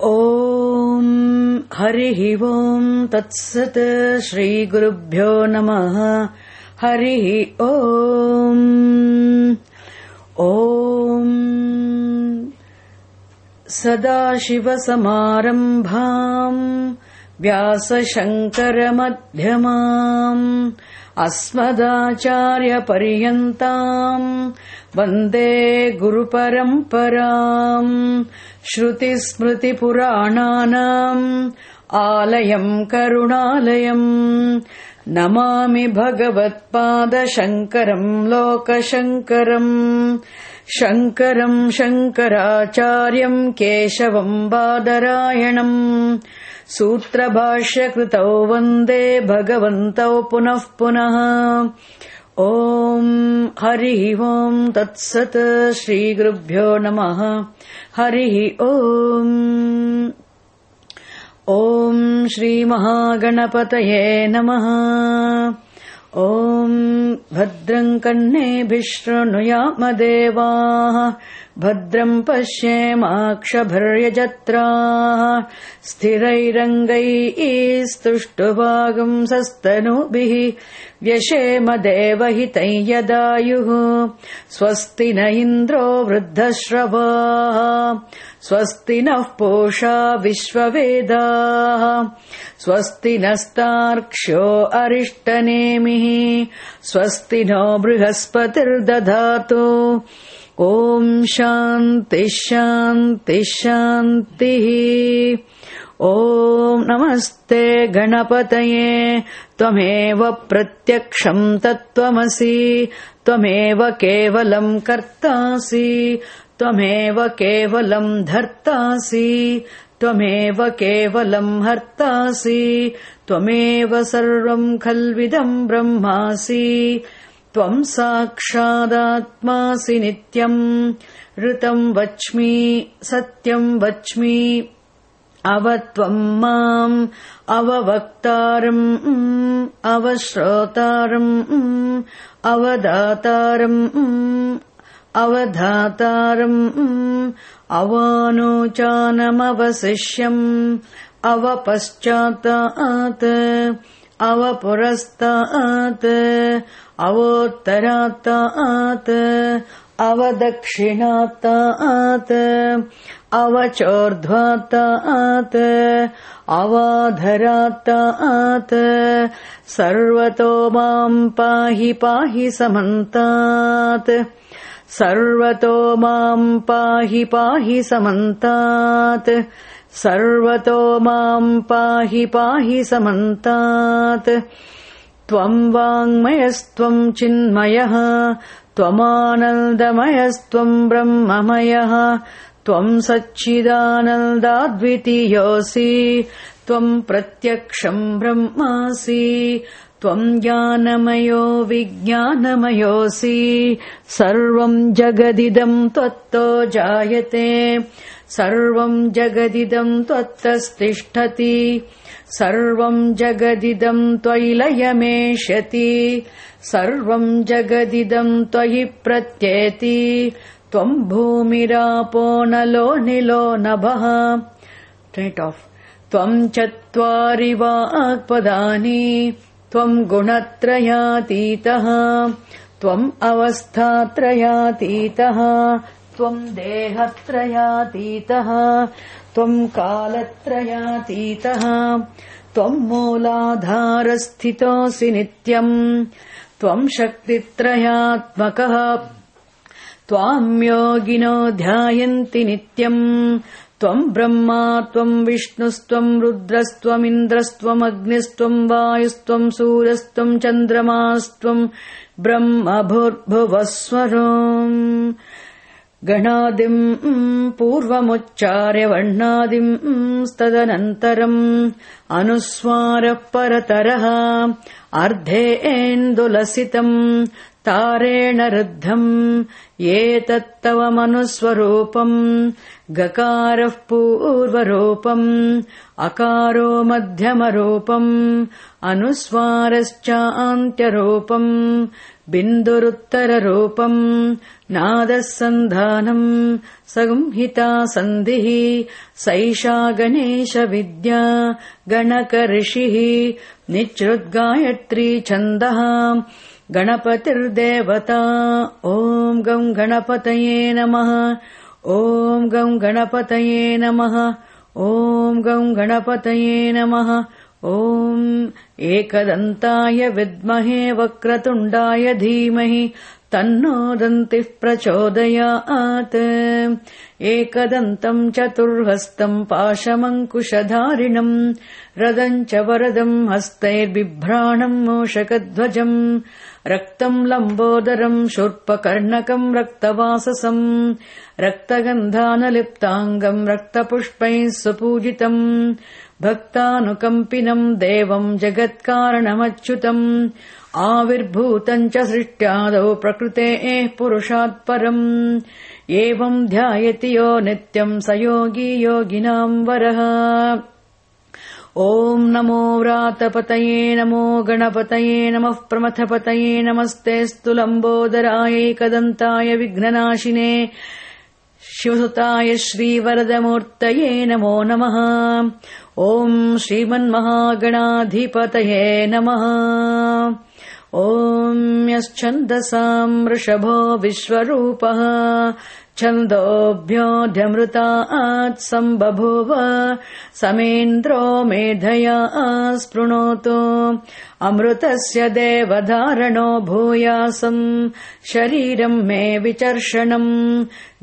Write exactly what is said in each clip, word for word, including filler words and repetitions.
ओम हरिः ओम तत्सत् श्रीगुरुभ्यो नमः। हरिः ओम ओम सदाशिवसमारम्भाम् व्यासशङ्करमध्यमाम् अस्मदाचार्यपर्यन्ताम् वन्दे गुरुपरम्पराम्। श्रुतिस्मृतिपुराणानाम् आलयम् करुणालयम् नमामि भगवत्पादशङ्करम् लोकशङ्करम्। शङ्करम् शङ्कराचार्यम् केशवम् बादरायणम् सूत्रभाष्यकृतौ वन्दे भगवन्तौ पुनः पुनः। ओम हरिः ओम तत्सत् श्रीगुरुभ्यो नमः। हरिः ओम ओम श्रीमहागणपतये नमः। ओम भद्रं कर्णेभिः शृणुयाम देवाः भद्रं पश्येमाक्षभिर्यजत्राः स्थिरैरङ्गैः स्तुष्टुवागुंसस्तनूभिः व्यशेम देवहितं यदायुः। स्वस्ति न इन्द्रो वृद्धश्रवाः स्वस्ति नः पूषा विश्ववेदाः स्वस्ति नस्तार्क्ष्यो अरिष्टनेमिः स्वस्ति नो बृहस्पतिर्दधातु। ओम शांति शांति शांतिः। ओम नमस्ते गणपतये त्वमेव प्रत्यक्षं तत्त्वमसि त्वमेव केवलं कर्तासि त्वमेव केवलं धर्तासि त्वमेव केवलं हर्तासि त्वमेव सर्वं खल्विदं ब्रह्मासि त्वं साक्षादात्मासि नित्यम्। ऋतं वच्मि सत्यं वच्मि अवत्वं माम् अववक्तारम् अवश्रोतारम् अवदातारम् अवधातारम् अवानोचानमवशिष्यम् अवपश्चातात् अवपुरस्तात् अवोत्तरात् अवदक्षिणात् अवचोर्ध्वात् अवाधरात् सर्वतो मां पाहि पाहि समन्तात् सर्वतो मां पाहि पाहि समन्तात् सर्वतो मां पाहि पाहि समन्तात्। त्वं वाङ्मयस्त्वं चिन्मयः त्वमानन्दमयस्त्वं ब्रह्ममयः त्वं सच्चिदानन्दाद्वितीयोऽसि त्वं प्रत्यक्षं ब्रह्मासि त्वं ज्ञानमयो विज्ञानमयोऽसि सर्वं जगदिदं त्वत्तो जायते सर्वं जगदिदं त्वत्तस्तिष्ठति सर्वं जगदिदं त्वयि लयमेष्यति सर्वं जगदिदं त्वयि प्रत्येति त्वं भूमिरापो नलो निलो नभः। त्वं चत्वारि वाक्पदानि त्वं गुणत्रयातीतः त्वम् अवस्थात्रयातीतः त्वं देहत्रयातीतः त्वं कालत्रयातीतः त्वं मूलाधारस्थितोऽसि नित्यम् त्वं शक्तित्रयात्मकः त्वां योगिनो ध्यायन्ति नित्यम् त्वं ब्रह्मा त्वं विष्णुस्त्वं रुद्रस्त्वमिन्द्रस्त्वमग्निस्त्वं वायुस्त्वं सूर्यस्त्वं चन्द्रमास्त्वं ब्रह्म भूर्भुवस्वरम्। गणादिम् पूर्वमुच्चार्य वर्णादिम् तदनन्तरम् अनुस्वारः परतरः अर्धेन्दुलसितम् तारेण रुद्धम् एतत्तव मनुस्वरूपम् गकारः पूर्वरूपम् अकारो मध्यमरूपम् अनुस्वारश्चान्त्यरूपम् बिन्दुरुत्तररूपम् नादः सन्धानम् संहिता सन्धिः सैषा गणेशविद्या गणकऋषिः निच्छ्रुद्गायत्री छन्दः गणपतिर्देवता ॐ गं गणपतये नमः ॐ गं गणपतये नमः ॐ गं गणपतये नमः ॐ एकदन्ताय विद्महे वक्रतुण्डाय धीमहि तन्नो दन्तिः प्रचोदयात् एकदन्तम् चतुर्हस्तम् पाशमङ्कुशधारिणम् रदम् च वरदम् हस्तैर्बिभ्राणम् मूषकध्वजम् रक्तम् लम्बोदरम् शूर्पकर्णकम् रक्तवाससम् रक्तगन्धानलिप्ताङ्गम् रक्तपुष्पैः सुपूजितम् भक्तानुकम्पिनम् देवम् जगत्कारणमच्युतम् आविर्भूतम् च सृष्ट्यादौ प्रकृतेः पुरुषात् परम् एवम् ध्यायति यो नित्यम् स योगी योगिनाम् वरः ॐ नमो व्रातपतये नमो गणपतये नमः प्रमथपतये नमस्तेऽस्तु लम्बोदराय एकदन्ताय विघ्ननाशिने शिवसुताय श्रीवरदमूर्तये नमो नमः ॐ श्रीमन्महागणाधिपतये नमः ॐ यश्छन्दसाम् वृषभो विश्वरूपः छन्दोभ्योऽध्यमृतात् सम्बभूव समेन्द्रो मेधया स्पृणोतु अमृतस्य देवधारणो भूयासम् शरीरम् मे विचर्षणम्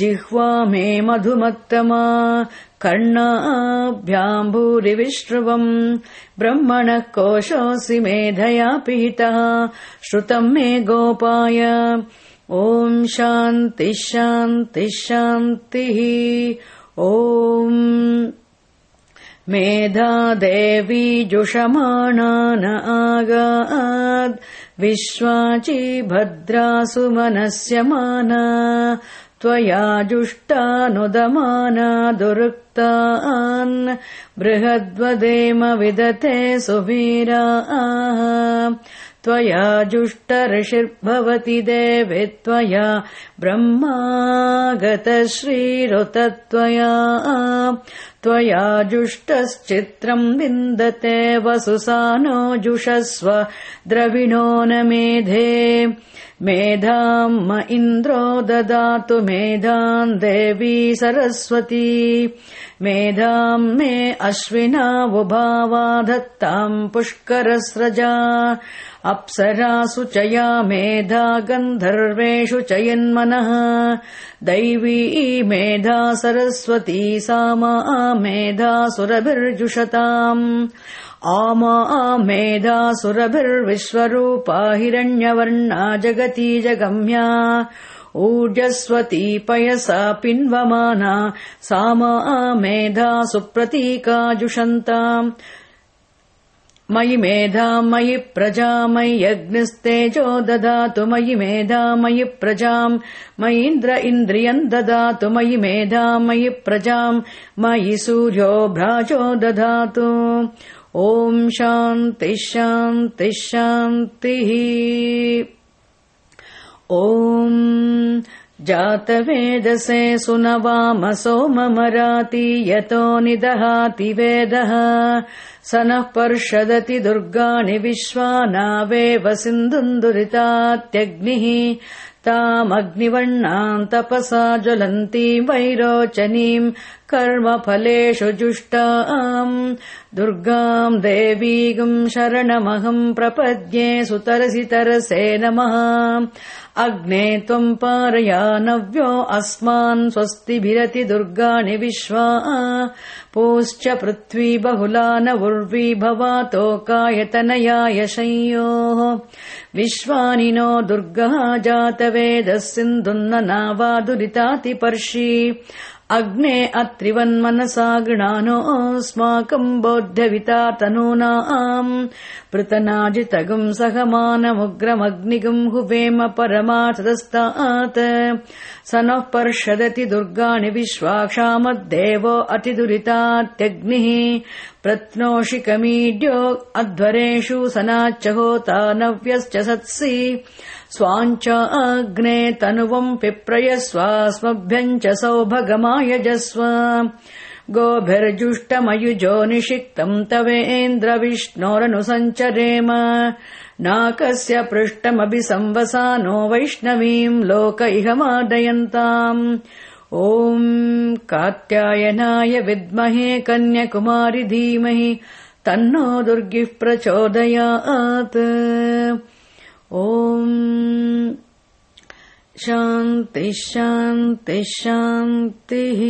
जिह्वा मे मधुमत्तमा कर्णाभ्याम् भूरिविश्रुवम् ब्रह्मणः कोशोऽसि मेधया पिहितः श्रुतम् मे गोपाय ॐ शान्तिः शान्तिः शान्तिः ॐ मेधा देवी जुषमाणा न आगाद् विश्वाची भद्रासु मनस्यमाना त्वया जुष्टानुदमाना दुरुक्तान् बृहद्वदेम विदते सुवीराः त्वया जुष्टऋषिर्भवति देवे त्वया ब्रह्मागतश्रीरुतत्वया त्वया जुष्टश्चित्रम् विन्दते वसुसानो जुषस्व द्रविणो न मेधे मेधाम् म इन्द्रो ददातु मेधाम् देवी सरस्वती मेधाम् मे अश्विनावुभावा धत्ताम् पुष्करस्रजा अप्सरासु च या मेधा गन्धर्वेषु च यन्मनः दैवी मेधा सरस्वती सा मा मेधा सुरभिर्जुषताम् आमा मेधा सुरभिर्विश्वरूपा हिरण्यवर्णा जगती जगम्या ऊर्जस्वती पयसा पिन्वमाना सा मा मेधा सुप्रतीका जुषन्ताम् मयि मेधा मयि प्रजा मयि अग्निस्तेजो ददातु मयि मेधा मयि प्रजाम् मयीन्द्र इन्द्रियम् ददातु मयि मेधा मयि प्रजाम् मयि सूर्यो भ्राजो ददातु ॐ शान्तिः शान्तिः शान्तिः ॐ जातवेदसे सुनवाम सोममराति यतो निदहाति वेदः स नः पर्षदति दुर्गाणि विश्वानावेव सिन्धुन्दुरितात्यग्निः तामग्निवर्णाम् तपसा ज्वलन्तीम् वैरोचनीम् कर्मफलेषु जुष्टाम् दुर्गाम् देवीगम् शरणमहम् प्रपद्ये सुतरसि तरसे नमः अग्ने त्वम् पारयानव्यो अस्मान् स्वस्तिभिरति दुर्गाणि विश्वा पूश्च पृथ्वी बहुला न उर्वी भवातोकायतनयाय शंयोः विश्वानि नो दुर्गः जातवेदः सिन्धुन्न नावादुरितातिपर्षि अग्ने अत्रिवन्मनसा गृणानोऽस्माकम् बोध्यविता तनूनाम् पृतनाजितगुम् सहमानमुग्रमग्निगुम् हुवेम परमार्थदस्तात् स नः पर्षदति दुर्गाणि विश्वाक्षामद्देवो अतिदुरितात्यग्निः प्रत्नोषिकमीड्यो अध्वरेषु सनाच्च होता नव्यश्च सत्सि स्वाञ्च अग्ने तनुवम् पिप्रयस्वास्मभ्यम् च सौभगमायजस्व गोभिर्जुष्टमयुजो निषिक्तम् तवेन्द्रविष्णोरनुसञ्चरेम नाकस्य पृष्ठमभि संवसानो वैष्णवीम् लोक इह मादयन्ताम् ॐ कात्यायनाय विद्महे कन्याकुमारि धीमहि तन्नो दुर्गिः प्रचोदयात्। ॐ शान्ति शान्ति शान्तिः।